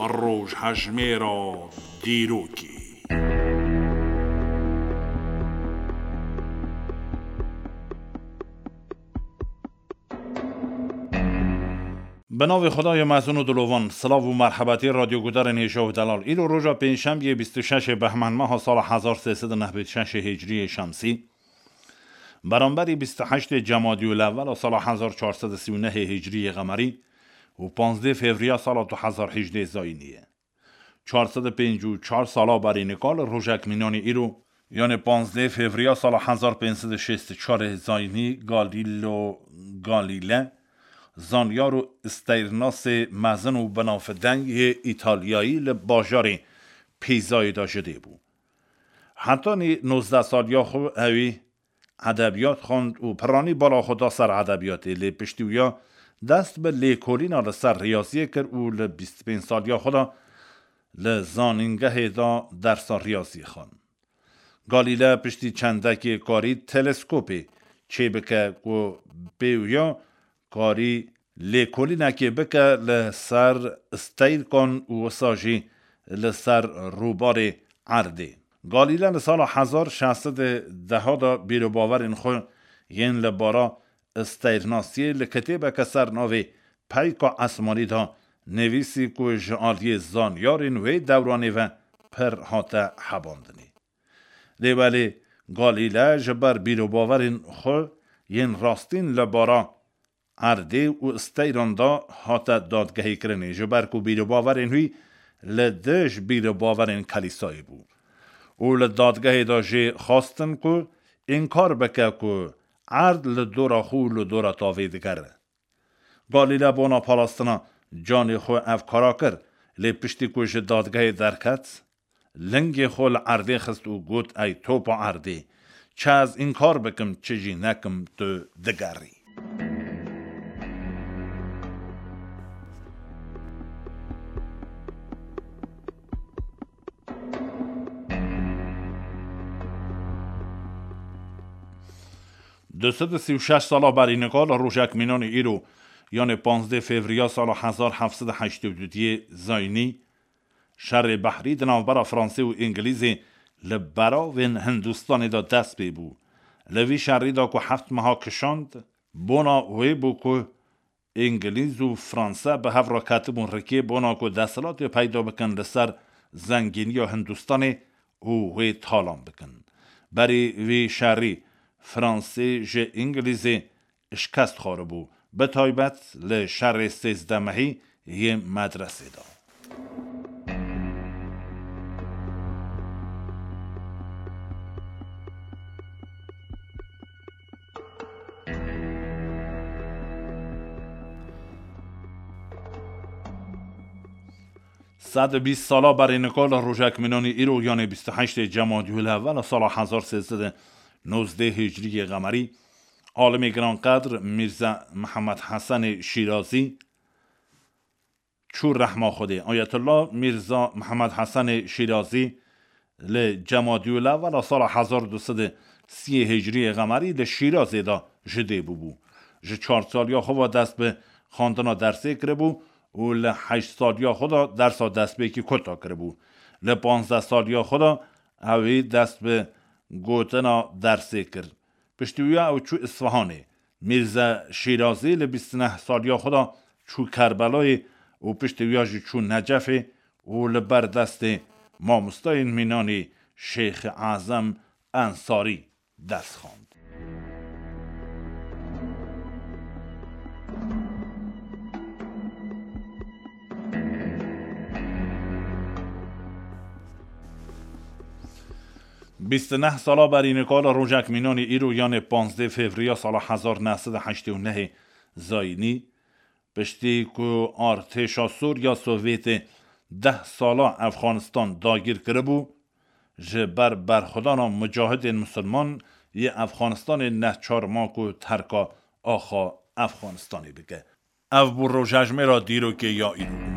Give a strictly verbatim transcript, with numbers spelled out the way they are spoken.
Rojhejmêra dîrokê. Bi navê Xwedayê mezin û dilovan, silav û merhebetî radyogudarên hêja û delal. Îro roja pêncşembiyê bîst û şeş ê behmend meha sala hezar sê sed û nehbêt şeş ê hicriyê şemsî, beramberî bîst û heştê cemadî û lewela sala hezar çar sed û sî û nehê hicriyê qemerî û panzdê fevriya sala du hezar hejdê zayînî ye. Çar sed û pêncî û çar sala berî nika li rojek mînanî îro, yanê panzdeh fevriya sala hezar pênc sed û şêst û çar ê zayînî, Galîleo Galîle, zanyar û steyrnasê mezin û binavdeng yê Îtalyayî, li bajarê Pîzayê de ji dê bû. Hetanî nozdeh saliya xwe ewî edebiyat xwend û piranî bala xwe da ser edebiyatê, lê piştî wiya dest bi lêkolîna li ser riyaziyê kir û li bîst û pênc saliya xwe de li zanîngehê de dersa riyaziyê xwend. Galîle piştî çendekê karî teleskopê çêbike ku pê wiya karî lêkolînekê bike li ser steyrkan û wisa jî li ser rûbarê erdê. Galîle li sala hezar şeş sed û deh de bîrobawerên xwe yên li bara steyrnasiyê li kitêbeke ser navê Peyka Esmanî de nivîsî ku ji aliyê zanyarên wê dewranê ve pir hate hebandinê. Lê belê Galîle ji ber bîrobawerên xwe yên rastîn li bara erdê û steyran de hate dadgehîkirinê, ji ber ku bîrobawerên wî li dij bîrobawerên Kelîsayê bû û li dadgehê de jê xwestin ku înkar bike ku erd li dora xwe û li dora tavê digere. Galîle bona parastina canê xwe ev kara kir, lê piştî ku ji dadgehê derket, lingê xwe li erdê xist û got, "Ey topa erdê, çi ez înkar bikim, çi jî nekim, tu digerî." Du sed û sî û şeş sala berî nika li rojek mînanê îro, yanê panzdeh fevriya sala hezar heft sed û heştê û duyê zayînî, şerê behrî di navbera Fransê û Îngilîzê li beravên Hindistanê de dest pê bû. Li vî şerî de ku heft meha kişand, bona wê bû ku Îngilîz û Franse bi hev re ketibûn rikê bona ku desthilatê peyda bikin li ser zengîniya Hindistanê û wê talan bikin. Berî vî şerî Fransê ji Îngilîzê şikest xwaribû, bi taybet li şerê sêzdeh mehî yê medresê de. Sed û bîst sala berê nika li rojek mînanî îro, yanê bîst û heştê Cemadî Lewel sala hezar sê sed û nozdeh Hicriyê Qemerî, alimê giranqedr Mîrze Mihemed Hesenê Şîrazî çû rehma Xwedê. Ayetullah Mîrza Mihemed Hesenê Şîrazî li Cemadî Lewel sala hezar du sed û sî Hicriyê Qemerî li Şîrazê de ji dê bûbû. Ji çar saliya xwe ve dest bi xwendina dersê kiribû û li heşt saliya xwe de dersa destpêkî kota kiribû. Li panzdeh saliya xwe de ewî dest bi gotina dersê kir. Piştî wiya ew çû Isfahanê. Mîrze Şîrazî li bîst û neh saliya xwe de çû Kerbelayê û piştî wiya jî çû Necefê û li ber destê mamostayên mînanî Şêxê Ezem Ensarî ders xwend. Bîst û neh sala berî nika li rojek mînanî îro, yanê panzdeh fevriya sala hezar neh sed û heştê û nehê zayînî, piştî ku artêşa Sûriya Sovyetê deh sala Efxanistan dagîr kiribû, ji ber berxwedana mucahidên misilman yê Efxanistanê neh çar ma ku terka axa Efxanistanê bike. Ev bû rojhejmêra dîrokê ya îro.